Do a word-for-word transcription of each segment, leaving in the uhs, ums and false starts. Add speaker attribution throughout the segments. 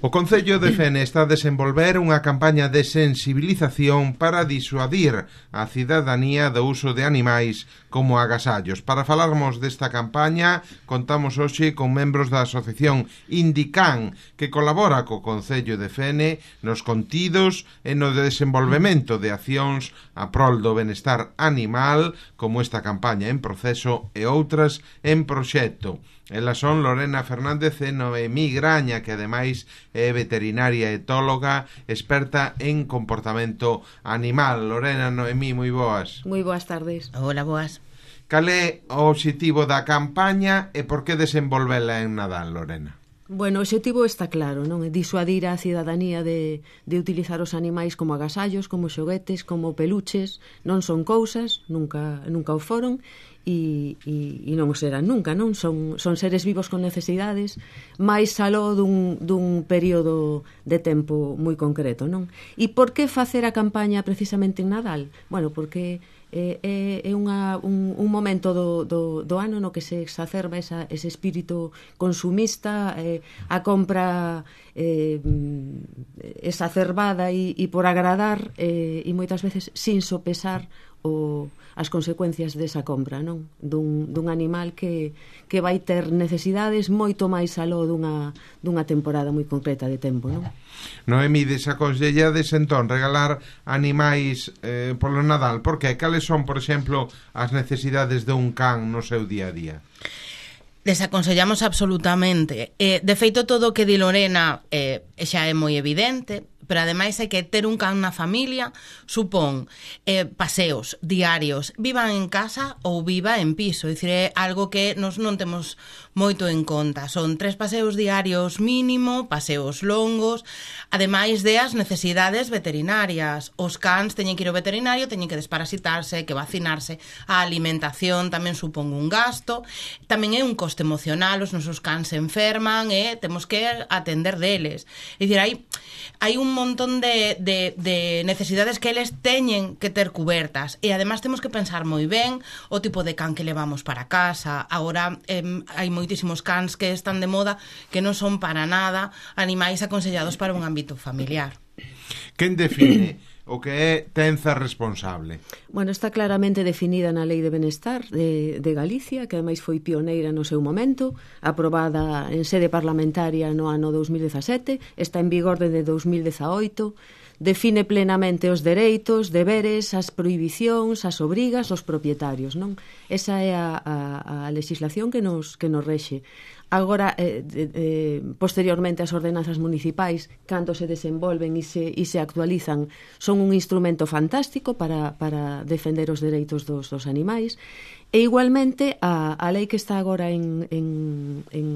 Speaker 1: O Concello de Fene está a desenvolver unha campaña de sensibilización para disuadir a cidadanía do uso de animais como agasallos. Para falarmos desta campaña, contamos hoxe con membros da asociación Indican, que colabora co Concello de Fene nos contidos e no desenvolvemento de accións a prol do benestar animal, como esta campaña en proceso e outras en proxecto. Elas son Lorena Fernández e Noemí Graña, que ademais é veterinaria etóloga experta en comportamento animal. Lorena, Noemí, moi boas.
Speaker 2: Moi boas tardes.
Speaker 3: Hola, boas.
Speaker 1: Cal é o obxectivo da campaña e por que desenvolvela en Nadal, Lorena?
Speaker 2: Bueno, o obxectivo está claro, non? É disuadir a cidadanía de, de utilizar os animais como agasallos, como xoguetes, como peluches. Non son cousas, nunca, nunca o foron, e, e, e non o serán nunca, non? Son, son seres vivos con necesidades, máis aló dun, dun período de tempo moi concreto, non? E por que facer a campaña precisamente en Nadal? Bueno, porque é, é unha, un, un momento do, do, do ano no que se exacerba esa, ese espírito consumista, eh, a compra eh, exacerbada e, e por agradar, eh, e moitas veces sin sopesar o, as consecuencias desa compra, non? Dun, dun animal que, que vai ter necesidades moito máis aló dunha, dunha temporada moi concreta de tempo, non?
Speaker 1: Noemí, desaconsellades entón regalar animais eh, polo Nadal, por que? Cales son, por exemplo, as necesidades dun can no seu día a día?
Speaker 3: Desaconsellamos absolutamente. Eh, de feito, todo o que di Lorena eh, xa é moi evidente, pero ademais hai que ter un can na familia supón eh, paseos diarios, vivan en casa ou viva en piso, é dicir, é algo que nos non temos moito en conta. Son tres paseos diarios mínimo, paseos longos, ademais de as necesidades veterinarias. Os cans teñen que ir ao veterinario, teñen que desparasitarse, que vacinarse, a alimentación tamén supón un gasto, tamén é un coste emocional, os nosos cans se enferman e temos que atender deles. É dicir, hai, hai un montón de, de, de necesidades que eles teñen que ter cubertas e además temos que pensar moi ben o tipo de can que levamos para casa. Agora eh, hai moitísimos cans que están de moda que non son para nada animais aconsellados para un ámbito familiar.
Speaker 1: Quen define o que é tenza responsable?
Speaker 2: Bueno, está claramente definida na Lei de Benestar de, de Galicia, que ademais foi pioneira no seu momento, aprobada en sede parlamentaria no ano dous mil dezasete, está en vigor desde dous mil dezaoito, define plenamente os dereitos, deberes, as prohibicións, as obrigas dos propietarios, non? Esa é a, a, a legislación que nos, que nos rexe. Agora, eh, eh, posteriormente, as ordenanzas municipais, cando se desenvolven e se, e se actualizan, son un instrumento fantástico para, para defender os dereitos dos, dos animais. E igualmente, a, a lei que está agora en, en, en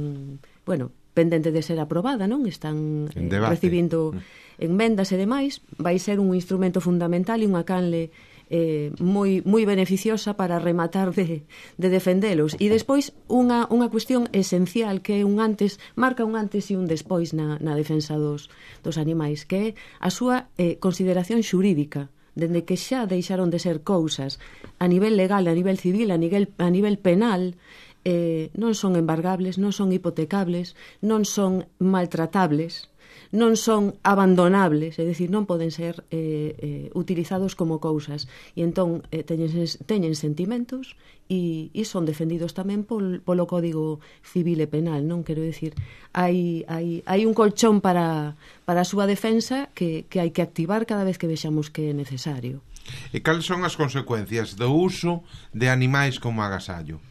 Speaker 2: bueno, pendente de ser aprobada, non? Están eh, recibindo enmendas e demais, vai ser un instrumento fundamental e unha canle eh, moi, moi beneficiosa para rematar de, de defendelos. E despois unha, unha cuestión esencial que é un antes, marca un antes e un despois na, na defensa dos, dos animais, que é a súa eh, consideración xurídica, dende que xa deixaron de ser cousas a nivel legal, a nivel civil, a nivel, a nivel penal, eh, non son embargables, non son hipotecables, non son maltratables, non son abandonables, é dicir, non poden ser eh, eh, utilizados como cousas, e entón eh, teñen, teñen sentimentos e, e son defendidos tamén pol, polo Código Civil e Penal, non? Quero dicir, hai, hai, hai un colchón para, para a súa defensa que, que hai que activar cada vez que vexamos que é necesario.
Speaker 1: E cales son as consecuencias do uso de animais como agasallo?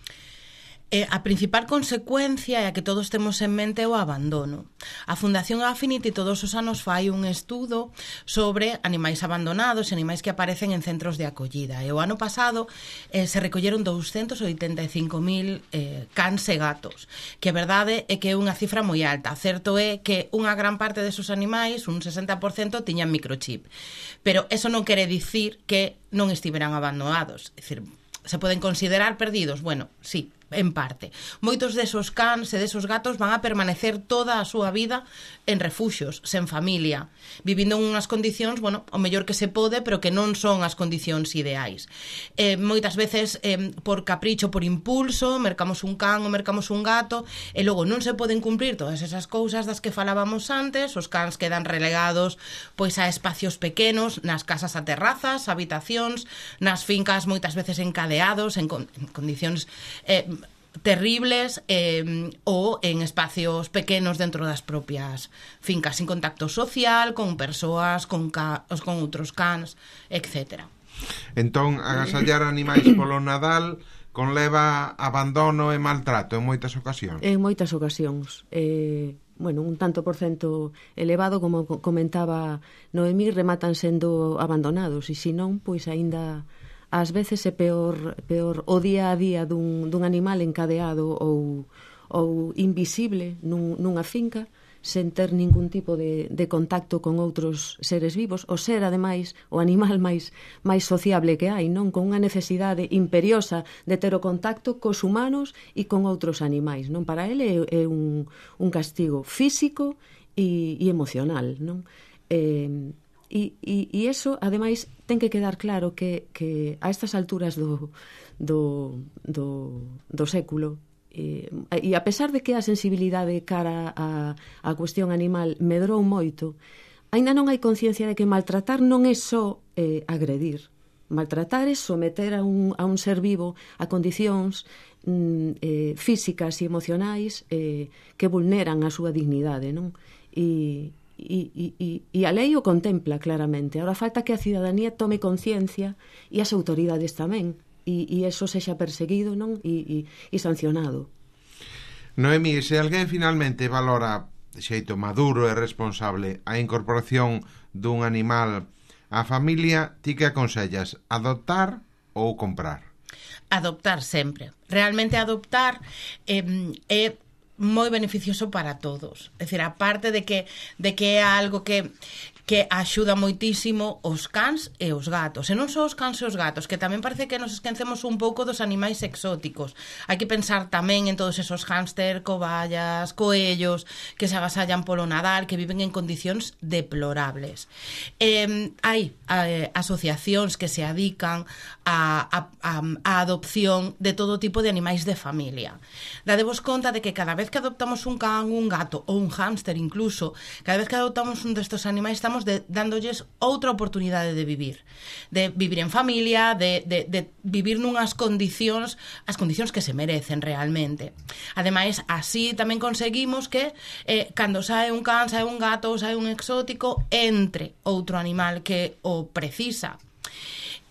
Speaker 3: Eh, a principal consecuencia é a que todos temos en mente o abandono. A Fundación Affinity todos os anos fai un estudo sobre animais abandonados e animais que aparecen en centros de acollida. E o ano pasado eh, se recolleron douscentos oitenta e cinco mil eh, cans e gatos, que a verdade é que é unha cifra moi alta. Certo é que unha gran parte desos animais, un sesenta por cento, tiñan microchip. Pero eso non quere dicir que non estiveran abandonados. É dicir, se poden considerar perdidos? Bueno, sí, en parte. Moitos desos cans e desos gatos van a permanecer toda a súa vida en refuxios, sen familia, vivindo en unhas condicións, bueno, o mellor que se pode, pero que non son as condicións ideais. Eh, moitas veces, eh, por capricho, por impulso, mercamos un can ou mercamos un gato, e logo non se poden cumprir todas esas cousas das que falábamos antes, os cans quedan relegados pois a espacios pequenos, nas casas a terrazas, habitacións, nas fincas moitas veces encadeados, en, con, en condicións eh, terribles, eh, ou en espacios pequenos dentro das propias fincas, sin contacto social, con persoas, con, ca, con outros cans, etcétera.
Speaker 1: Entón, agasallar animais polo Nadal conleva abandono e maltrato en moitas ocasións.
Speaker 2: En moitas ocasións. Eh, bueno, un tanto por cento elevado, como comentaba Noemí, rematan sendo abandonados, e se non, pois aínda ás veces é peor, peor o día a día dun, dun animal encadeado ou, ou invisible nun, nunha finca, sen ter ningún tipo de, de contacto con outros seres vivos, o ser, ademais, o animal máis, máis sociable que hai, non? Con unha necesidade imperiosa de ter o contacto cos humanos e con outros animais, non? Para ele é, é un, un castigo físico e, e emocional, non? Eh, E, e, e eso, ademais, ten que quedar claro que, que a estas alturas do, do, do, do século, e, e a pesar de que a sensibilidade cara a, a cuestión animal medrou moito, aínda non hai conciencia de que maltratar non é só eh, agredir. Maltratar é someter a un, a un ser vivo a condicións mm, eh, físicas e emocionais eh, que vulneran a súa dignidade, non? E E, e, e a lei o contempla claramente. Ahora falta que a cidadanía tome conciencia e as autoridades tamén, e, e eso sexa perseguido, non? E, e, e sancionado.
Speaker 1: Noemí, se alguén finalmente valora de xeito maduro e responsable a incorporación dun animal á familia, ti que aconsellas, adoptar ou comprar?
Speaker 3: Adoptar sempre. Realmente adoptar é eh, eh, moi beneficioso para todos. É dicir, aparte de que de que é algo que que axuda moitísimo os cans e os gatos. E non só os cans e os gatos, que tamén parece que nos esquecemos un pouco dos animais exóticos. Hai que pensar tamén en todos esos hámster, cobayas, coellos, que se agasallan polo Nadal, que viven en condicións deplorables. Eh, hai eh, asociacións que se adican a, a, a, a adopción de todo tipo de animais de familia. Dadevos conta de que cada vez que adoptamos un can, un gato ou un hámster incluso, cada vez que adoptamos un destes animais estamos de, dándolles outra oportunidade de vivir, de vivir en familia, de, de, de vivir nunhas condicións, as condicións que se merecen realmente. Ademais, así tamén conseguimos que eh, cando sae un can, sae un gato, sae un exótico, entre outro animal que o precisa.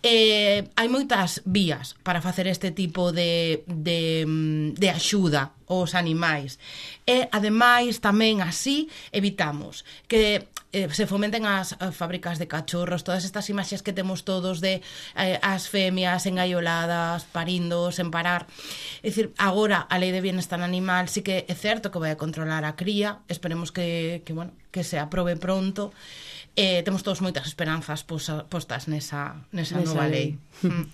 Speaker 3: Eh, hai moitas vías para facer este tipo de, de, de axuda aos animais, e ademais tamén así evitamos que eh, se fomenten as, as fábricas de cachorros, todas estas imaxes que temos todos de eh, as femias engaioladas, parindo sen parar. É dicir, agora a lei de bienestar animal sí que é certo que vai a controlar a cría, esperemos que, que, bueno, que se aprobe pronto. Eh, temos todos moitas esperanzas posa, postas nesa, nesa, nesa nova lei. lei. Mm.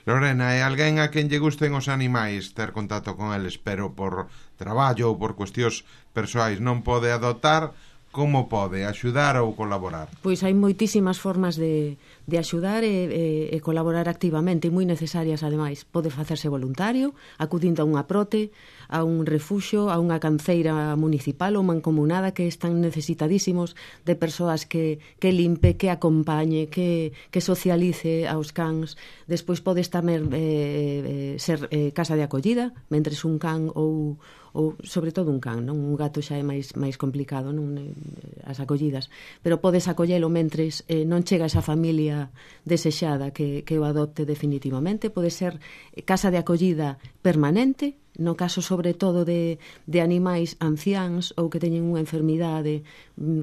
Speaker 1: Lorena, é alguén a quen lle gusten os animais ter contacto con eles, pero por traballo ou por cuestións persoais non pode adoptar, como pode axudar ou colaborar?
Speaker 2: Pois hai moitísimas formas de, de axudar e, e, e colaborar activamente, moi necesarias ademais. Pode facerse voluntario, acudindo a unha prote, a un refuxio, a unha canceira municipal ou mancomunada que están necesitadísimos de persoas que, que limpe, que acompañe, que, que socialice aos cans. Despois podes tamén eh, ser eh, casa de acollida, mentres un can ou, ou sobre todo un can, non? Un gato xa é máis, máis complicado, non? As acollidas, pero podes acollelo mentres eh, non chega esa familia desexada que, que o adopte definitivamente. Pode ser casa de acollida permanente, no caso sobre todo de, de animais anciáns ou que teñen unha enfermidade,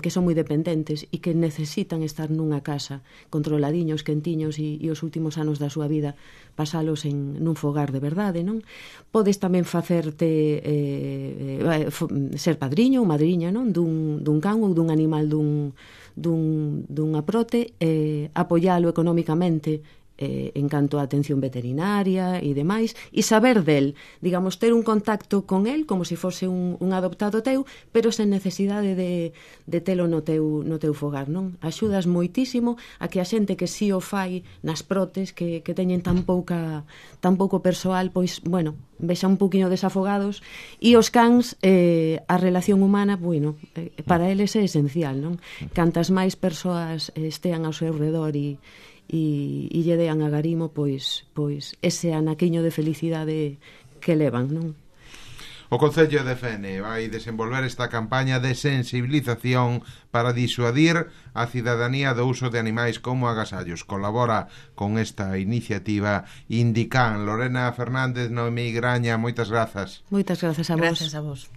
Speaker 2: que son moi dependentes e que necesitan estar nunha casa controladiños, quentiños e, e os últimos anos da súa vida pasalos en nun fogar de verdade, non? Podes tamén facerte eh, eh, ser padriño ou madriña, non? Dun, dun can ou dun animal dun, dun, dunha prote, eh, apoialo económicamente eh, en canto a atención veterinaria e demais, e saber del, digamos, ter un contacto con el como se fose un, un adoptado teu, pero sen necesidade de, de telo no teu, no teu fogar, non? Axudas moitísimo a que a xente que si o fai nas protes, que, que teñen tan pouca tan pouco persoal, pois, bueno, vexa un poquinho desafogados, e os cans, eh, a relación humana, bueno, eh, para eles é esencial, non? Cantas máis persoas eh, estean ao seu redor e e, e lle dean a garimo, pois, pois ese anaquiño de felicidade que levan, non?
Speaker 1: O Concello de Fene vai desenvolver esta campaña de sensibilización para disuadir a cidadanía do uso de animais como agasallos. Colabora con esta iniciativa Indican. Lorena Fernández, Noemí Graña, moitas grazas.
Speaker 2: Moitas grazas a vos.
Speaker 3: Grazas a vos.